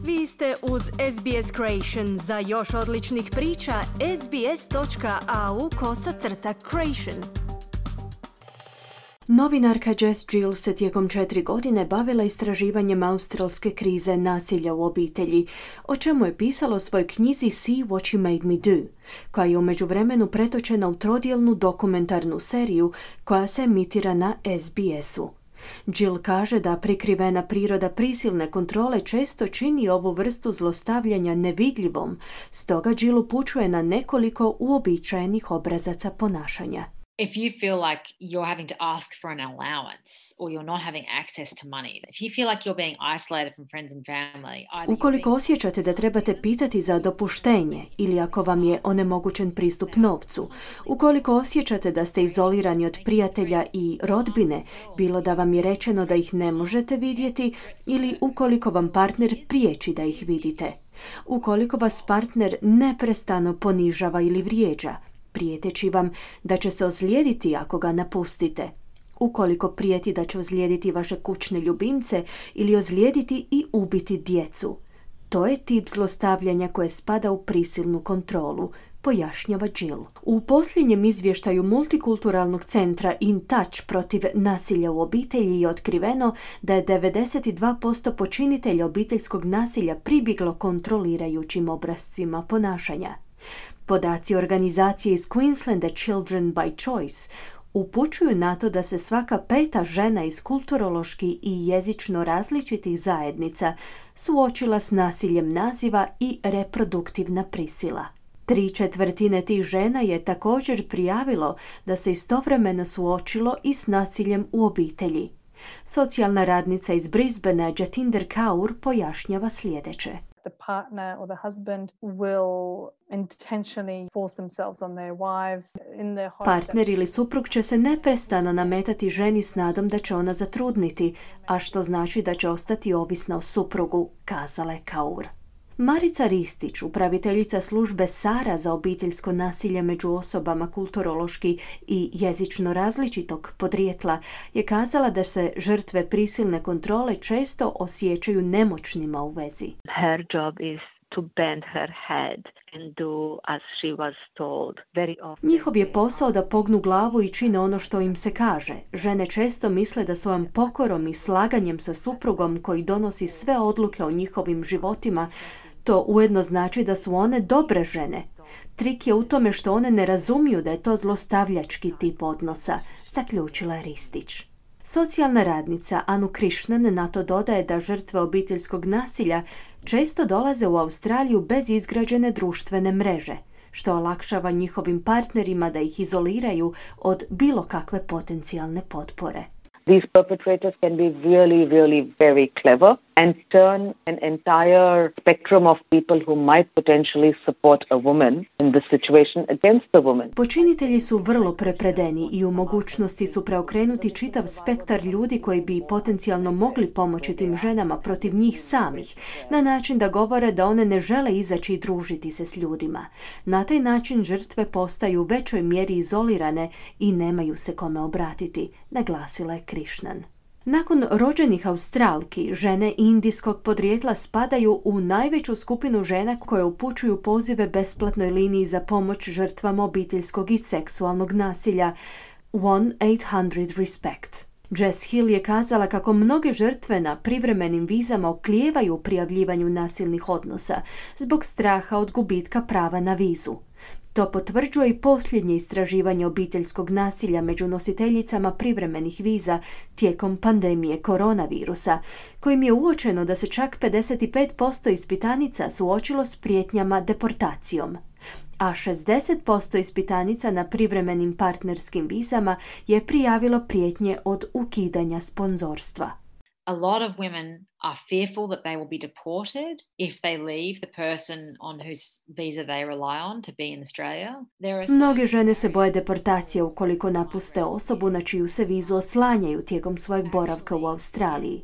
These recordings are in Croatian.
Vi ste uz SBS Creation. Za još odličnih priča, sbs.au/creation. Novinarka Jess Gill se tijekom 4 godine bavila istraživanjem australske krize nasilja u obitelji, o čemu je pisala u svojoj knjizi See What You Made Me Do, koja je u međuvremenu pretočena u trodjelnu dokumentarnu seriju koja se emitira na SBS-u. Jill kaže da prikrivena priroda prisilne kontrole često čini ovu vrstu zlostavljanja nevidljivom, stoga Jill upućuje na nekoliko uobičajenih obrazaca ponašanja. If you feel like you're having to ask for an allowance or you're not having access to money, if you feel like you're being isolated from friends and family, ukoliko osjećate da trebate pitati za dopuštenje ili ako vam je onemogućen pristup novcu, ukoliko osjećate da ste izolirani od prijatelja i rodbine, bilo da vam je rečeno da ih ne možete vidjeti ili ukoliko vam partner priječi da ih vidite, ukoliko vas partner neprestano ponižava ili vrijeđa, prijeteći vam da će se ozlijediti ako ga napustite, ukoliko prijeti da će ozlijediti vaše kućne ljubimce ili ozlijediti i ubiti djecu. To je tip zlostavljanja koje spada u prisilnu kontrolu, pojašnjava Jill. U posljednjem izvještaju multikulturalnog centra In Touch protiv nasilja u obitelji je otkriveno da je 92% počinitelja obiteljskog nasilja pribjeglo kontrolirajućim obrascima ponašanja. Podaci organizacije iz Queenslanda Children by Choice upućuju na to da se svaka 5. žena iz kulturološki i jezično različitih zajednica suočila s nasiljem naziva i reproduktivna prisila. 3/4 tih žena je također prijavilo da se istovremeno suočilo i s nasiljem u obitelji. Socijalna radnica iz Brisbanea Jatinder Kaur pojašnjava sljedeće. The partner or the husband will intentionally force themselves on their wives in their hope. Partner ili suprug će se neprestano nametati ženi s nadom da će ona zatrudniti, a što znači da će ostati ovisna o suprugu, kazala je Kaur. Marica Ristić, upraviteljica službe Sara za obiteljsko nasilje među osobama kulturološki i jezično različitog podrijetla, je kazala da se žrtve prisilne kontrole često osjećaju nemoćnima u vezi. Her job is to bend her head and do as she was told. Very often. Njihov je posao da pognu glavu i čine ono što im se kaže. Žene često misle da svojom pokorom i slaganjem sa suprugom koji donosi sve odluke o njihovim životima, to ujedno znači da su one dobre žene. Trik je u tome što one ne razumiju da je to zlostavljački tip odnosa, zaključila je Ristić. Socijalna radnica Anu Krishnan na to dodaje da žrtve obiteljskog nasilja često dolaze u Australiju bez izgrađene društvene mreže, što olakšava njihovim partnerima da ih izoliraju od bilo kakve potencijalne potpore. These perpetrators can be really, really very clever and turn an entire spectrum of people who might potentially support a woman in this situation against the woman. Počinitelji su vrlo prepredeni i u mogućnosti su preokrenuti čitav spektar ljudi koji bi potencijalno mogli pomoći tim ženama protiv njih samih, na način da govore da one ne žele izaći i družiti se s ljudima. Na taj način žrtve postaju u većoj mjeri izolirane i nemaju se kome obratiti, naglasila je Krishnan. Nakon rođenih Australki, žene indijskog podrijetla spadaju u najveću skupinu žena koje upućuju pozive besplatnoj liniji za pomoć žrtvama obiteljskog i seksualnog nasilja 1-800-RESPECT. Jess Hill je kazala kako mnoge žrtve na privremenim vizama oklijevaju u prijavljivanju nasilnih odnosa zbog straha od gubitka prava na vizu. To potvrđuje i posljednje istraživanje obiteljskog nasilja među nositeljicama privremenih viza tijekom pandemije koronavirusa, kojim je uočeno da se čak 55% ispitanica suočilo s prijetnjama deportacijom, a 60% ispitanica na privremenim partnerskim vizama je prijavilo prijetnje od ukidanja sponzorstva. A lot of women are fearful that they will be deported if they leave the person on whose visa they rely on to be in Australia. Mnoge žene se boje deportacije ukoliko napuste osobu na čiju se vizu oslanjaju tijekom svojeg boravka u Australiji.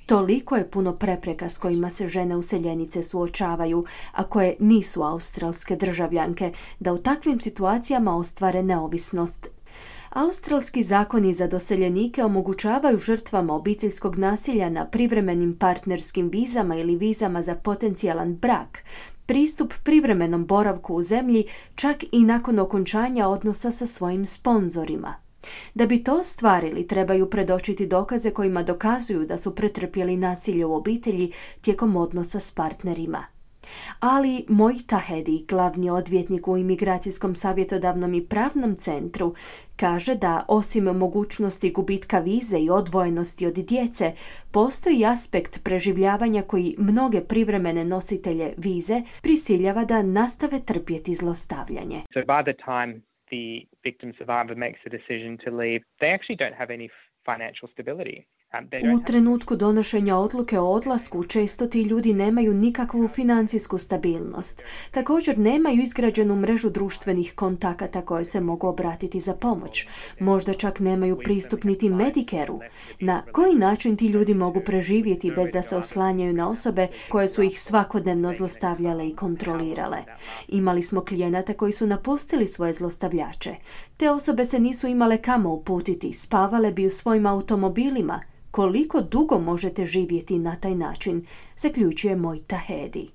Toliko je puno prepreka s kojima se žene useljenice suočavaju, a koje nisu australske državljanke, da u takvim situacijama ostvare neovisnost. Australski zakoni za doseljenike omogućavaju žrtvama obiteljskog nasilja na privremenim partnerskim vizama ili vizama za potencijalan brak pristup privremenom boravku u zemlji čak i nakon okončanja odnosa sa svojim sponzorima. Da bi to ostvarili, trebaju predočiti dokaze kojima dokazuju da su pretrpjeli nasilje u obitelji tijekom odnosa s partnerima. Ali Moi Tahedi, glavni odvjetnik u Imigracijskom savjetodavnom i pravnom centru, kaže da osim mogućnosti gubitka vize i odvojenosti od djece, postoji aspekt preživljavanja koji mnoge privremene nositelje vize prisiljava da nastave trpjeti zlostavljanje. So by the time the victim survivor makes a decision to leave, they actually don't have any financial stability. U trenutku donošenja odluke o odlasku često ti ljudi nemaju nikakvu financijsku stabilnost. Također nemaju izgrađenu mrežu društvenih kontakata koje se mogu obratiti za pomoć. Možda čak nemaju pristup niti Medicare-u. Na koji način ti ljudi mogu preživjeti bez da se oslanjaju na osobe koje su ih svakodnevno zlostavljale i kontrolirale? Imali smo klijenata koji su napustili svoje zlostavljače. Te osobe se nisu imale kamo uputiti, spavale bi u svojim automobilima. Koliko dugo možete živjeti na taj način, zaključuje Moi Tahedi.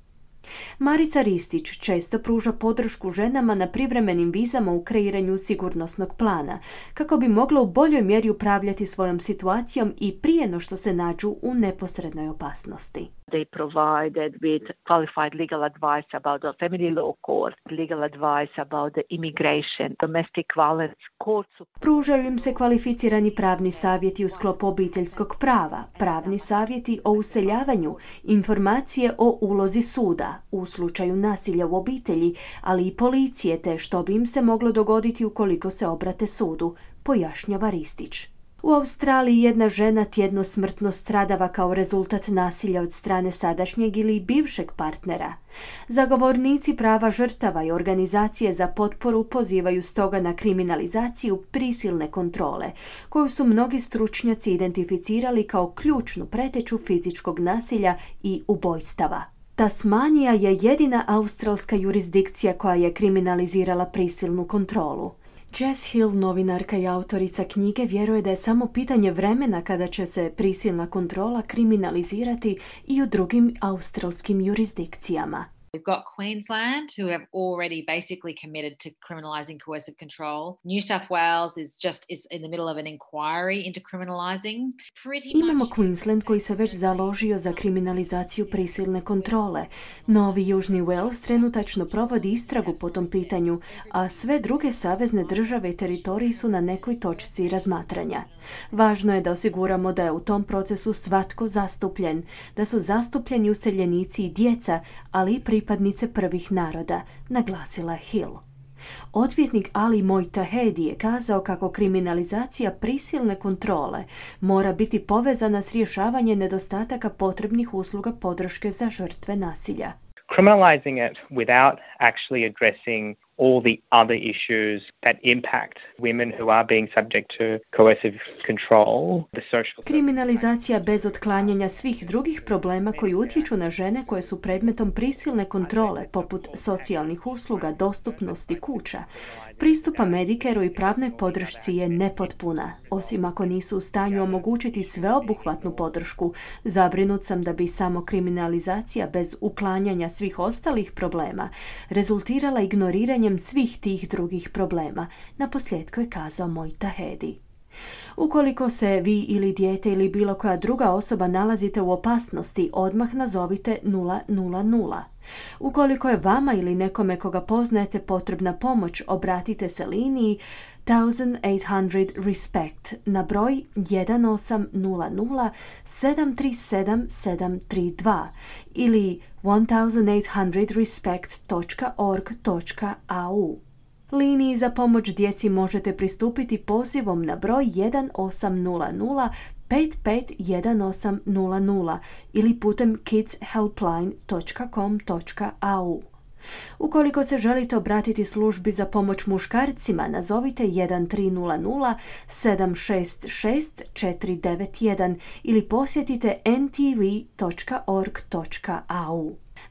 Marica Ristić često pruža podršku ženama na privremenim vizama u kreiranju sigurnosnog plana, kako bi mogla u boljoj mjeri upravljati svojom situacijom i prije no što se nađu u neposrednoj opasnosti. They provided with qualified legal advice about the family law court, legal advice about the immigration, domestic violence court. Pružaju im se kvalificirani pravni savjeti u sklopu obiteljskog prava, pravni savjeti o useljavanju, informacije o ulozi suda u slučaju nasilja u obitelji, ali i policije te što bi im se moglo dogoditi ukoliko se obrate sudu, pojašnjava Ristić. U Australiji jedna žena tjedno smrtno stradava kao rezultat nasilja od strane sadašnjeg ili bivšeg partnera. Zagovornici prava žrtava i organizacije za potporu pozivaju stoga na kriminalizaciju prisilne kontrole, koju su mnogi stručnjaci identificirali kao ključnu preteću fizičkog nasilja i ubojstava. Tasmanija je jedina australska jurisdikcija koja je kriminalizirala prisilnu kontrolu. Jess Hill, novinarka i autorica knjige, vjeruje da je samo pitanje vremena kada će se prisilna kontrola kriminalizirati i u drugim australskim jurisdikcijama. We've got Queensland, who have already basically committed to criminalising coercive control. New South Wales is in the middle of an inquiry into criminalising. Imamo Queensland koji se već založio za kriminalizaciju prisilne kontrole. Novi Južni Wales trenutačno provodi istragu po tom pitanju, a sve druge savezne države i teritoriji su na nekoj točci razmatranja. Važno je da osiguramo da je u tom procesu svatko zastupljen, da su zastupljeni useljenici i djeca, ali i pripadnice prvih naroda, naglasila je Hill. Odvjetnik Ali Moi Tahedi je kazao kako kriminalizacija prisilne kontrole mora biti povezana s rješavanjem nedostataka potrebnih usluga podrške za žrtve nasilja. Criminalizing it without actually addressing all the other issues that impact women who are being subject to coercive control, the social... Kriminalizacija bez otklanjanja svih drugih problema koji utječu na žene koje su predmetom prisilne kontrole, poput socijalnih usluga, dostupnosti kuća, pristupa Medicare-u i pravnoj podršci je nepotpuna. Osim ako nisu u stanju omogućiti sveobuhvatnu podršku, zabrinut sam da bi samo kriminalizacija bez uklanjanja svih ostalih problema rezultirala ignoriranjem svih tih drugih problema, naposljetku je kazao Moi Tahedi. Ukoliko se vi ili dijete ili bilo koja druga osoba nalazite u opasnosti, odmah nazovite 000. Ukoliko je vama ili nekome koga poznajete potrebna pomoć, obratite se liniji 1800 RESPECT na broj 1800 737 732 ili 1800respect.org.au. Liniji za pomoć djeci možete pristupiti pozivom na broj 1800 551800 ili putem kidshelpline.com.au. Ukoliko se želite obratiti službi za pomoć muškarcima, nazovite 1300 766 491 ili posjetite ntv.org.au.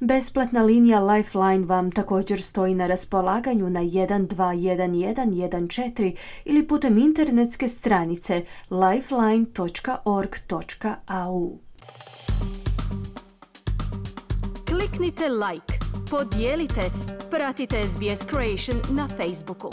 Besplatna linija Lifeline vam također stoji na raspolaganju na 121114 ili putem internetske stranice lifeline.org.au. Kliknite like, podijelite, pratite SBS Creation na Facebooku.